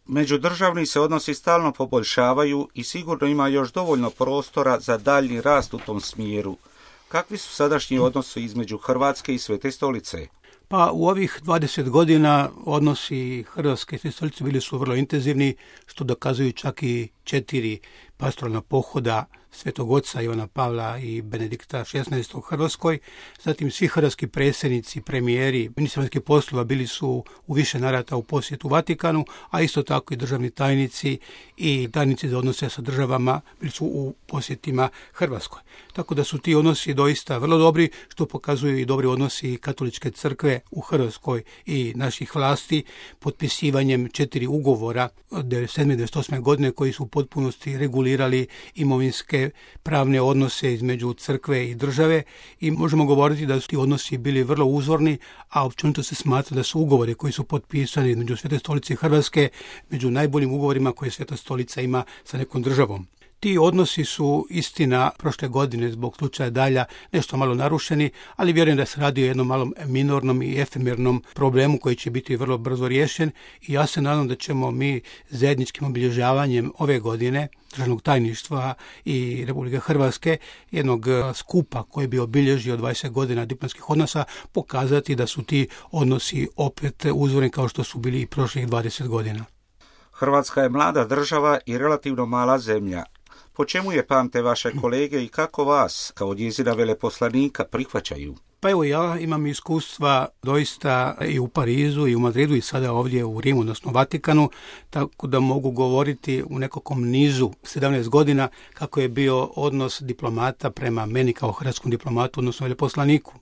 Međudržavni se odnosi stalno poboljšavaju i sigurno ima još dovoljno prostora za daljnji rast u tom smjeru. Kakvi su sadašnji odnosi između Hrvatske i Svete stolice? Pa u ovih 20 godina odnosi Hrvatske i Svete stolice bili su vrlo intenzivni, što dokazuju čak i 4 pastoralna pohoda Svetog Oca Ivana Pavla i Benedikta XVI u Hrvatskoj. Zatim svi hrvatski predsjednici, premijeri, ministri vanjskih poslova bili su u više navrata u posjetu Vatikanu, a isto tako i državni tajnici i tajnici za odnose sa državama bili su u posjetima Hrvatskoj. Tako da su ti odnosi doista vrlo dobri, što pokazuju i dobri odnosi Katoličke crkve u Hrvatskoj i naših vlasti, potpisivanjem 4 ugovora od 1997. godine koji su u potpunosti regulirali imovinske pravne odnose između crkve i države i možemo govoriti da su ti odnosi bili vrlo uzorni, a općenito se smatra da su ugovori koji su potpisani između Svete stolice i Hrvatske među najboljim ugovorima koje Sveta stolica ima sa nekom državom. Ti odnosi su, istina, prošle godine zbog slučaja Dalja nešto malo narušeni, ali vjerujem da se radi o jednom malom minornom i efemernom problemu koji će biti vrlo brzo riješen i ja se nadam da ćemo mi zajedničkim obilježavanjem ove godine Državnog tajništva i Republike Hrvatske, jednog skupa koji bi obilježio 20 godina diplomatskih odnosa, pokazati da su ti odnosi opet uzorni kao što su bili i prošlih 20 godina. Hrvatska je mlada država i relativno mala zemlja. Po čemu je pamte vaše kolege i kako vas, kao njezina veleposlanika, prihvaćaju? Pa evo, ja imam iskustva doista i u Parizu i u Madridu i sada ovdje u Rimu, odnosno Vatikanu, tako da mogu govoriti u nekakvom nizu 17 godina kako je bio odnos diplomata prema meni kao hrvatskom diplomatu, odnosno veleposlaniku.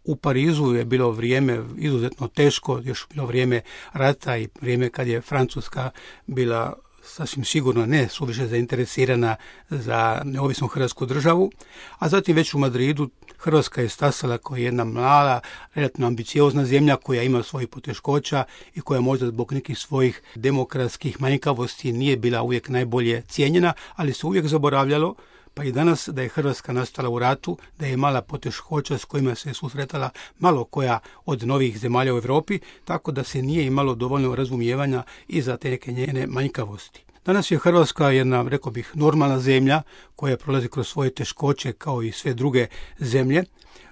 U Parizu je bilo vrijeme izuzetno teško, još bilo vrijeme rata i vrijeme kad je Francuska bila sasvim sigurno ne suviše zainteresirana za neovisnu hrvatsku državu, a zatim već u Madridu Hrvatska je stasala kao jedna mala, relativno ambiciozna zemlja koja ima svojih poteškoća i koja možda zbog nekih svojih demokratskih manjkavosti nije bila uvijek najbolje cijenjena, ali se uvijek zaboravljalo, pa i danas, da je Hrvatska nastala u ratu, da je imala poteškoća s kojima se susretala malo koja od novih zemalja u Europi, tako da se nije imalo dovoljno razumijevanja i za te neke njene manjkavosti. Danas je Hrvatska jedna, rekao bih, normalna zemlja koja prolazi kroz svoje teškoće kao i sve druge zemlje.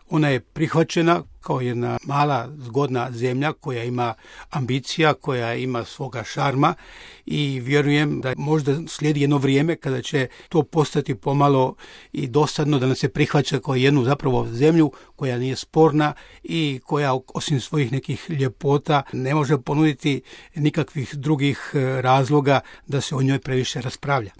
Ona je prihvaćena kao jedna mala, zgodna zemlja koja ima ambicija, koja ima svoga šarma i vjerujem da možda slijedi jedno vrijeme kada će to postati pomalo i dosadno da nas se prihvaća kao jednu zapravo zemlju koja nije sporna i koja osim svojih nekih ljepota ne može ponuditi nikakvih drugih razloga da se o njoj previše raspravlja.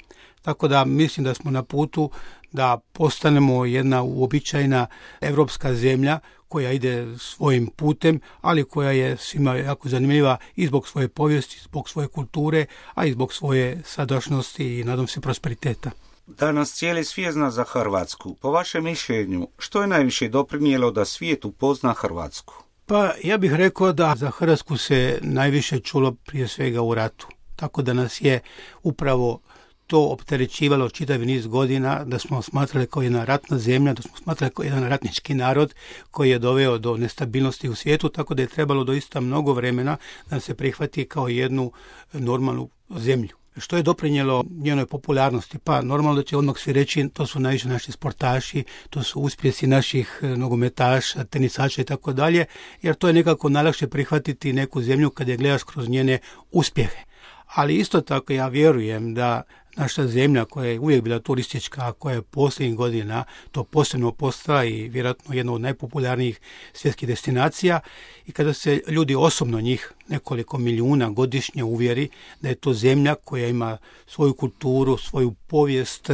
Tako da mislim da smo na putu da postanemo jedna uobičajena europska zemlja koja ide svojim putem, ali koja je svima jako zanimljiva i zbog svoje povijesti, zbog svoje kulture, a i zbog svoje sadašnjosti i nadam se prosperiteta. Danas cijeli svijet zna za Hrvatsku. Po vašem mišljenju, što je najviše doprinijelo da svijet upozna Hrvatsku? Pa ja bih rekao da za Hrvatsku se najviše čulo prije svega u ratu. Tako da nas je upravo to opterećivalo čitav niz godina, da smo smatrali kao jedna ratna zemlja, da smo smatrali kao jedan ratnički narod koji je doveo do nestabilnosti u svijetu, tako da je trebalo doista mnogo vremena da se prihvati kao jednu normalnu zemlju. Što je doprinijelo njenoj popularnosti? Pa normalno da će odmah svi reći to su najviše naši sportaši, to su uspjesi naših nogometaša, tenisača i tako dalje, jer to je nekako najlakše prihvatiti neku zemlju kad je gledaš kroz njene uspjehe. Ali isto tako ja vjerujem da naša zemlja koja je uvijek bila turistička, koja je posljednjih godina to posebno postala i vjerojatno jedna od najpopularnijih svjetskih destinacija i kada se ljudi osobno njih nekoliko milijuna godišnje uvjeri da je to zemlja koja ima svoju kulturu, svoju povijest,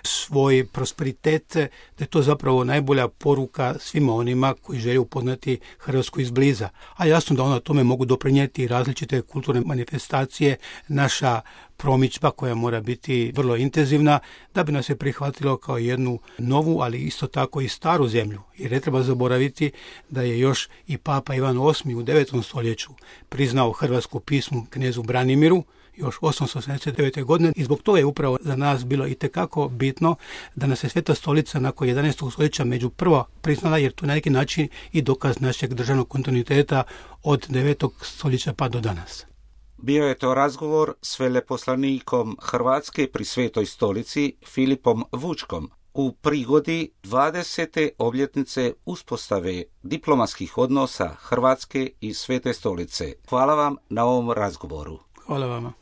svoj prosperitet, da je to zapravo najbolja poruka svima onima koji žele upoznati Hrvatsku izbliza. A jasno da ona tome mogu doprinijeti različite kulturne manifestacije, naša promidžba koja mora biti vrlo intenzivna da bi nas se prihvatilo kao jednu novu, ali isto tako i staru zemlju. Jer ne treba zaboraviti da je još i Papa Ivan VIII u 9. stoljeću priznao hrvatsku pismu knezu Branimiru još 879. godine i zbog toga je upravo za nas bilo itekako bitno da nas je Sveta stolica nakon 11. stoljeća među prvo priznala, jer to je na neki način i dokaz našeg državnog kontinuiteta od 9. stoljeća pa do danas. Bio je to razgovor s veleposlanikom Hrvatske pri Svetoj stolici Filipom Vučkom u prigodi 20. obljetnice uspostave diplomatskih odnosa Hrvatske i Svete stolice. Hvala vam na ovom razgovoru. Hvala vama.